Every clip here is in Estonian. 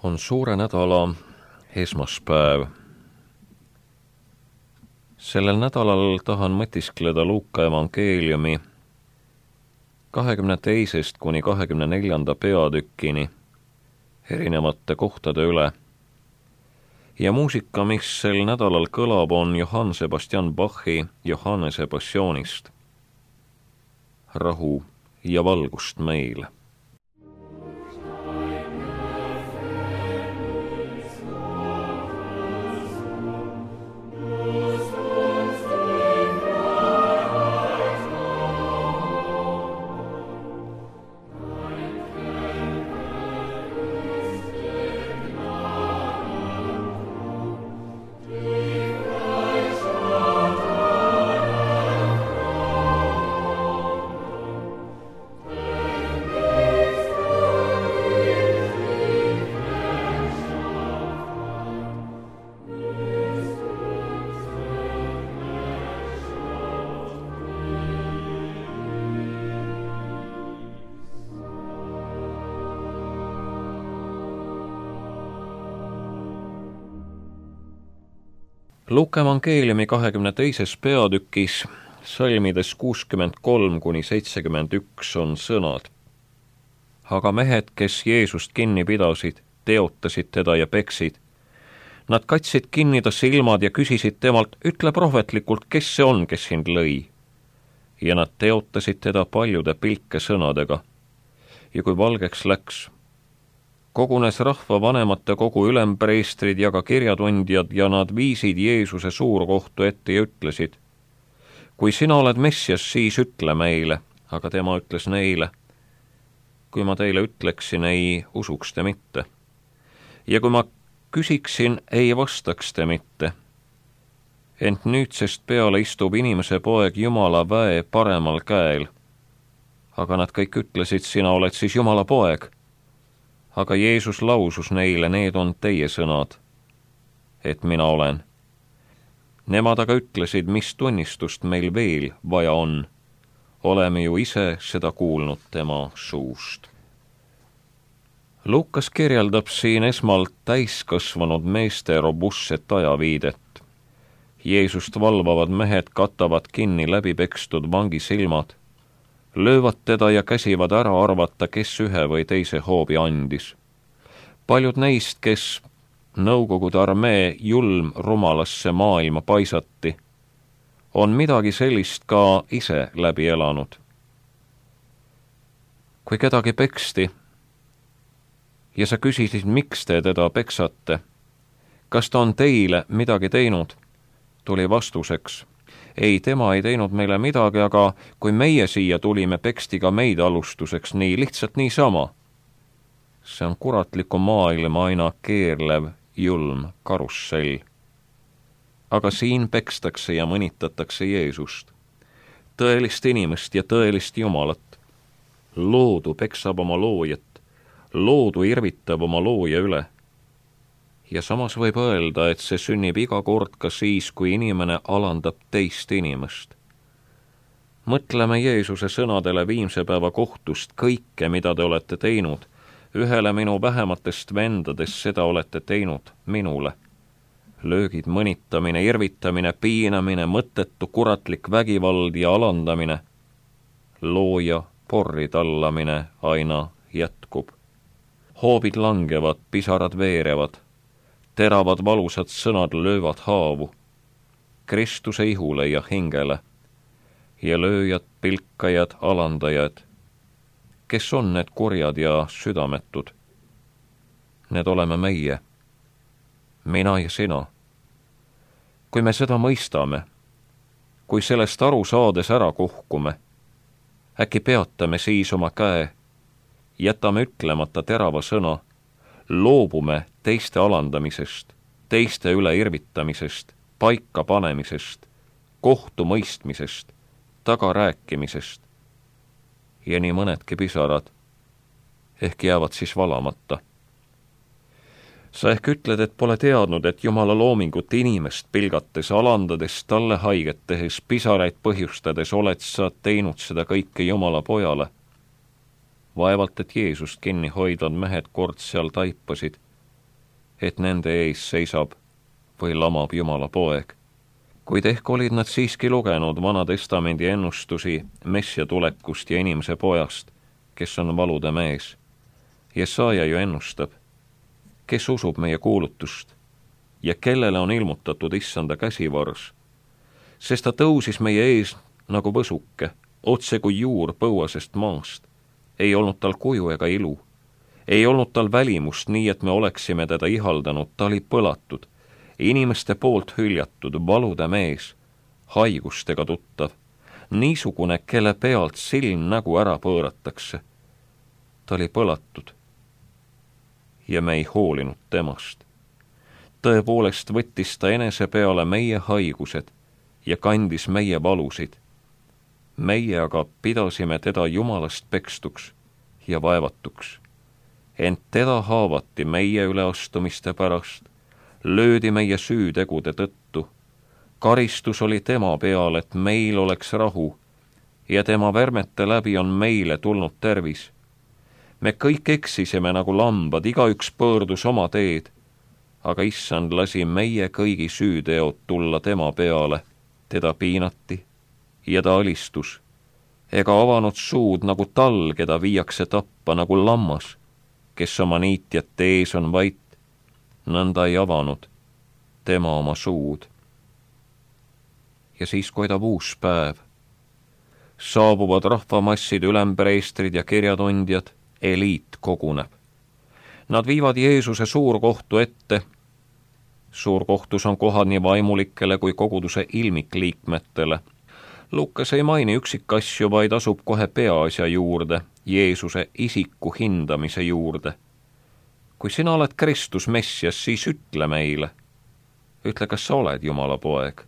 On suure nädala esmaspäev. Sellel nädalal tahan mõtiskleda Luuka evangeeliumi 22. kuni 24. peatükkini erinevate kohtade üle. Ja muusika, mis sel nädalal kõlab, on Johann Sebastian Bachi Johannese passioonist. Rahu ja valgust meile. Luuka evangeeliumi 22. peatükis salmides 63 kuni 71 on sõnad. Aga mehed, kes Jeesust kinni pidasid, teotasid teda ja peksid. Nad katsid kinni ta silmad ja küsisid temalt, ütle prohvetlikult, kes see on, kes sind lõi. Ja nad teotasid teda paljude pilke sõnadega. Ja kui valgeks läks, kogunes rahva vanemate kogu ülempreestrid ja ka kirjatundjad ja nad viisid Jeesuse suurkohtu ette ja ütlesid, kui sina oled Messias, siis ütle meile. Aga tema ütles neile, kui ma teile ütleksin, ei usuks te mitte. Ja kui ma küsiksin, ei vastaks te mitte. Ent nüüdsest peale istub inimese poeg Jumala väe paremal käel. Aga nad kõik ütlesid, sina oled siis Jumala poeg. Aga Jeesus lausus neile, need on teie sõnad, et mina olen. Nemad aga ütlesid, mis tunnistust meil veel vaja on. Oleme ju ise seda kuulnud tema suust. Luukas kirjeldab siin esmalt täiskasvanud meeste robustset ajaviidet. Jeesust valvavad mehed katavad kinni läbipekstud vangi silmad, löövad teda ja käsivad ära arvata, kes ühe või teise hoobi andis. Paljud neist, kes Nõukogude armee julm rumalasse maailma paisati, on midagi sellist ka ise läbi elanud. Kui kedagi peksti ja sa küsisid, miks te teda peksate, kas ta on teile midagi teinud, tuli vastuseks, ei, tema ei teinud meile midagi, aga kui meie siia tulime, peksti ka meid alustuseks nii, lihtsalt niisama. See on kuratliku maailma aina keerlev, julm karussell. Aga siin pekstakse ja mõnitatakse Jeesust, tõelist inimest ja tõelist Jumalat. Loodu peksab oma loojat, loodu irvitab oma looja üle. Ja samas võib öelda, et see sünnib iga kord ka siis, kui inimene alandab teist inimest. Mõtleme Jeesuse sõnadele viimse päeva kohtust, kõike, mida te olete teinud. Ühele minu vähematest vendadest seda olete teinud minule. Löögid, mõnitamine, irvitamine, piinamine, mõttetu kuratlik vägivald ja alandamine. Looja porri tallamine aina jätkub. Hoobid langevad, pisarad veerevad. Teravad valusad sõnad löövad haavu, Kristuse ihule ja hingele, ja lööjad, pilkajad, alandajad. Kes on need kurjad ja südametud? Need oleme meie, mina ja sina. Kui me seda mõistame, kui sellest aru saades ära kuhkume, äkki peatame siis oma käe, jätame ütlemata terava sõna, loobume teiste alandamisest, teiste üle irvitamisest, paika panemisest, kohtu mõistmisest, tagarääkimisest. Ja nii mõnedki pisarad ehk jäävad siis valamata. Sa ehk ütled, et pole teadnud, et Jumala loomingut inimest pilgates, alandades, talle haiget tehes, pisaraid põhjustades oled sa teinud seda kõike Jumala pojale. Vaevalt, et Jeesust kinni hoidvad mehed kord seal taipasid, et nende ees seisab või lamab Jumala poeg. Kuid ehk olid nad siiski lugenud Vana Testamendi ennustusi Messia tulekust ja inimese pojast, kes on valude mees. Jesaja ju ennustab, kes usub meie kuulutust ja kellele on ilmutatud issanda käsivars, sest ta tõusis meie ees nagu võsuke, otse kui juur põuasest maast. Ei olnud tal kuju ega ilu, ei olnud tal välimust nii, et me oleksime teda ihaldanud, ta oli põlatud, inimeste poolt hüljatud, valude mees, haigustega tuttav, niisugune, kelle pealt silm nägu ära pööratakse. Ta oli põlatud ja me ei hoolinud temast. Tõepoolest võttis ta enese peale meie haigused ja kandis meie valusid. Meie aga pidasime teda Jumalast pekstuks ja vaevatuks. Ent teda haavati meie üleastumiste pärast, löödi meie süütegude tõttu. Karistus oli tema peal, et meil oleks rahu, ja tema värmete läbi on meile tulnud tervis. Me kõik eksisime nagu lambad, igaüks pöördus oma teed, aga issand lasi meie kõigi süüteod tulla tema peale, teda piinati ja ta alistus, ega avanud suud nagu tal, keda viiakse tappa nagu lammas, kes oma niitjate ees on vait, nõnda ei avanud tema oma suud. Ja siis koidab uus päev. Saabuvad rahvamassid, ülempreestrid ja kirjatundjad, eliit koguneb. Nad viivad Jeesuse suurkohtu ette. Suurkohtus on kohad nii vaimulikele kui koguduse ilmikliikmetele. Lukas ei maini üksikasju, vaid asub kohe peaasja juurde, Jeesuse isiku hindamise juurde. Kui sina oled Kristus Messias, siis ütle meile. Ütle, kas sa oled Jumala poeg.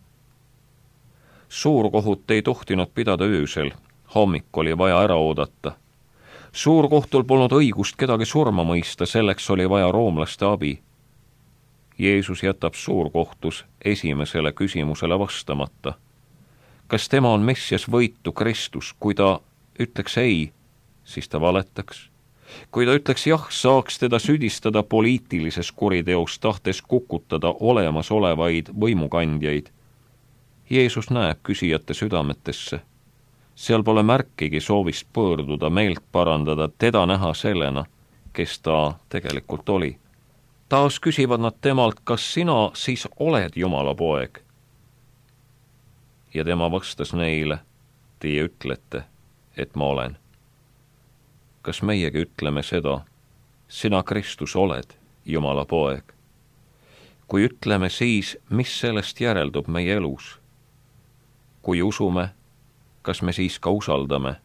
Suurkohut ei tohtinud pidada öösel, hommik oli vaja ära oodata. Suurkohtul polnud õigust kedagi surma mõista, selleks oli vaja roomlaste abi. Jeesus jätab suurkohtus esimesele küsimusele vastamata. Kas tema on Messias võitu Kristus? Kui ta ütleks ei, siis ta valetaks. Kui ta ütleks jah, saaks teda süüdistada poliitilises kuriteos, tahtes kukutada olemasolevaid võimukandjaid. Jeesus näeb küsijate südametesse. Seal pole märkigi soovist pöörduda, meelt parandada, teda näha sellena, kes ta tegelikult oli. Taas küsivad nad temalt, kas sina siis oled Jumala poeg? Ja tema vastas neile, teie ütlete, et ma olen. Kas meiegi ütleme seda, sina Kristus oled Jumala poeg? Kui ütleme, siis mis sellest järeldub meie elus? Kui usume, kas me siis ka usaldame?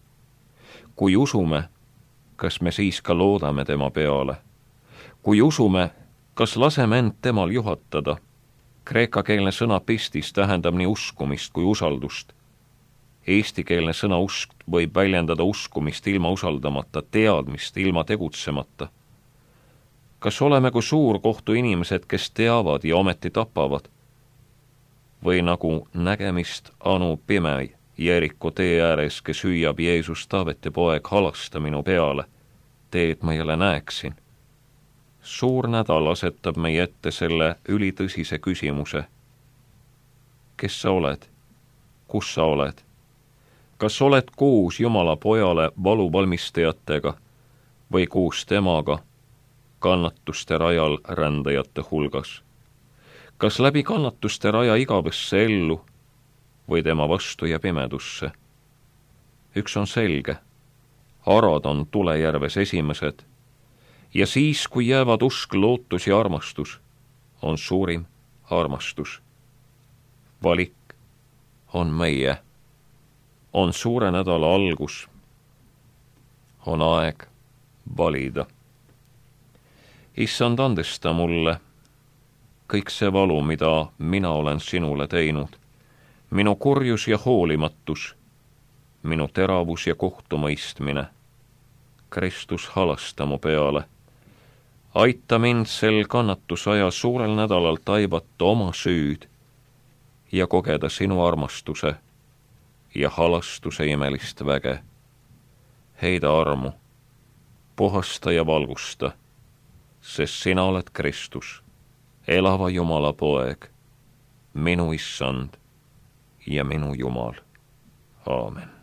Kui usume, kas me siis ka loodame tema peale? Kui usume, kas laseme end temal juhatada? Kreekakeelne sõna pistis tähendab nii uskumist kui usaldust. Eestikeelne sõna usk võib väljendada uskumist ilma usaldamata, teadmist ilma tegutsemata. Kas oleme kui suurkohtu inimesed, kes teavad ja ometi tapavad? Või nagu nägemist anu pime Jeriko tee ääres, kes hüüab Jeesus, Taaveti poeg, halasta minu peale, tee, et ma jälle näeksin. Suur nädal asetab meie ette selle ülitõsise küsimuse. Kes sa oled? Kus sa oled? Kas oled koos Jumala pojale valuvalmistajatega või koos temaga kannatuste rajal rändajate hulgas? Kas läbi kannatuste raja igavesse ellu või tema vastu ja pimedusse? Üks on selge, arad on tulejärves esimesed ja siis, kui jäävad usk, lootus ja armastus, on suurim armastus. Valik on meie, on suure nädala algus, on aeg valida. Issand, andesta mulle kõik see valu, mida mina olen sinule teinud, minu kurjus ja hoolimatus, minu teravus ja kohtumõistmine. Kristus, halasta mu peale. Aita mind sel kannatusaja suurel nädalal taibata oma süüd ja kogeda sinu armastuse ja halastuse imelist väge. Heida armu, puhasta ja valgusta, sest sina oled Kristus, elava Jumala poeg, minu issand ja minu Jumal. Aamen.